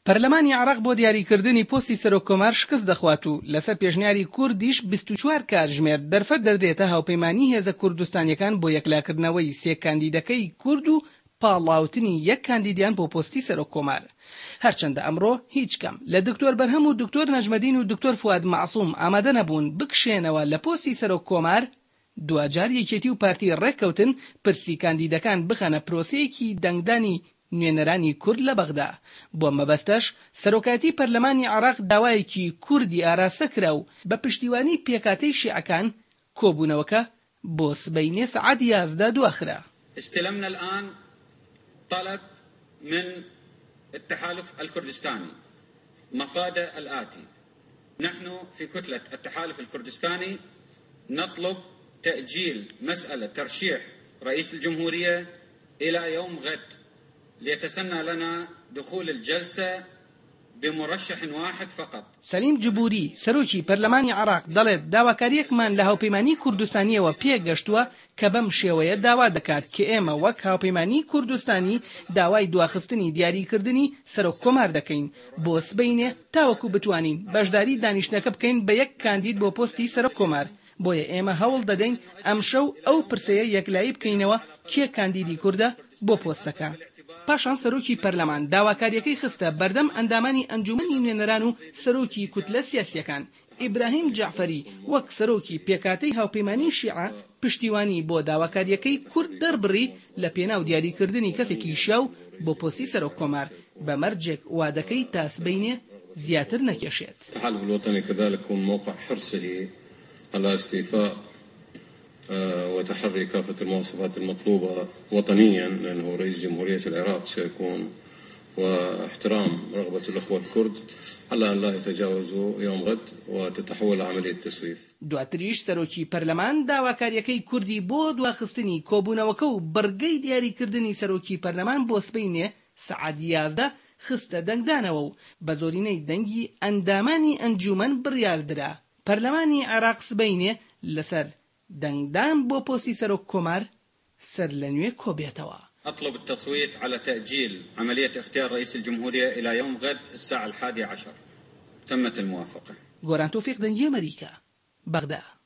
پەرلەمانی عێراق بۆ دیاریکردنی پۆستی سەرۆک کۆمار شکست دەخوات و لەسەر پێشنیاری کوردیش 24 کاتژمێر دەرفەت دەدرێتە هاوپەیمانی هێزە کوردستانیەکان بۆ یەکلاکردنەوەی سێ کاندیدەکەی کورد و پاڵاوتنی یەک کاندیدیان بۆ پۆستی سەرۆک کۆمار. هەرچەندە ئەمڕۆ هیچ کام لە دکتۆر بەرهەم و دکتۆر نەجمەدین و دکتۆر فواد مەعسوم ئامادە نەبوون بکشێنەوە لە پۆستی سەرۆک کۆمار، دواجار یەکێتی و پارتی ڕێککەوتن پرسی کاندیدەکان بخەنە پرۆسەیەکی دەنگدانی نوێنەرانی کورد لە بەغدا، بۆ مەبەستەش سەرۆکایەتی پەرلەمانی عێراق داوایەکی کوردی ئاراستە کرا و بە پشتیوانی پێکهاتەی شیعەکان کۆبوونەوەکە بۆ سبەینێ سەعات 11 دواخرا. استلمنا الآن طلب من التحالف الكردستاني مفاده الآتي نحن في كتلة التحالف الكردستاني نطلب تأجيل مسألة ترشيح رئيس الجمهورية إلى يوم غد ليتسنى لنا دخول الجلسة بمرشح واحد فقط. سەلیم جبوری، سەرۆکی پەرلەمانی عێراق دەڵێت، داواکارییەکمان لە هاوپەیمانیی کوردستانییەوە پێگەشتووە کە بەم شێوەیە داوا دەکات کە ئێمە وەک هاوپەیمانیی کوردستانی داوای دواخستنی دیاریکردنی سەرۆک کۆمار دەکەین بۆ سبەینێ تاوەکو بتوانین بەشداری دانیشتنەکە بکەین بە یەک کاندید بۆ پۆستی سەرۆک کۆمار بۆیە ئێمە هەوڵ دەدەین ئەمشەو ئەو پرسەیە یەکلایی بکەینەوە کێ کاندیدی کوردە بۆ پۆستەکە. پاشان سەرۆکی پەرلەمان داواکارییەکەی خستە بەردەم ئەندامانی ئەنجوومەنی نوێنەران و سەرۆکی کوتلە سیاسییەکان، ئیبراهیم جەعفەری وەک سەرۆکی پێکهاتەی هاوپەیمانیی شیعە پشتیوانی بۆ داواکارییەکەی کورد دەربڕی لە پێناو دیاریکردنی کەسێکی شیاو بۆ پۆستی سەرۆک کۆمار، بە مەرجێک وادەکەی تا سبەینێ زیاتر نەکێشێت. التحالف الوطني كذلك من موقع حرصه على استيفاء وتحري كافة المواصفات المطلوبة وطنيا لأنه رئيس جمهورية العراق سيكون واحترام رغبة الأخوة الكرد على أن لا يتجاوزوا يوم غد وتتحول عملية التسويف. دواتریش سەرۆکی پەرلەمان داواکارییەکەی کوردی بۆ دواخستنی کۆبوونەوەکە و بڕگەی دیاریکردنی سەرۆکی پەرلەمان بۆ سبەینێ سەعات 11 خستە دەنگدانەوە و بە زۆرینەی دەنگی ئەندامانی ئەنجوومەن بڕیاردرا پەرلەمانی عێراق سبەینێ لەسەر دەنگدان بۆ پۆستی سەرۆک کۆمار سەرلەنوێ کۆبێتەوە. اطلب التصويت على تأجيل عملية اختيار رئيس الجمهورية إلى يوم غد الساعة الحادية عشر. تمت الموافقة. گۆران تۆفیق دەنگی ئەمەریکا، بەغدا.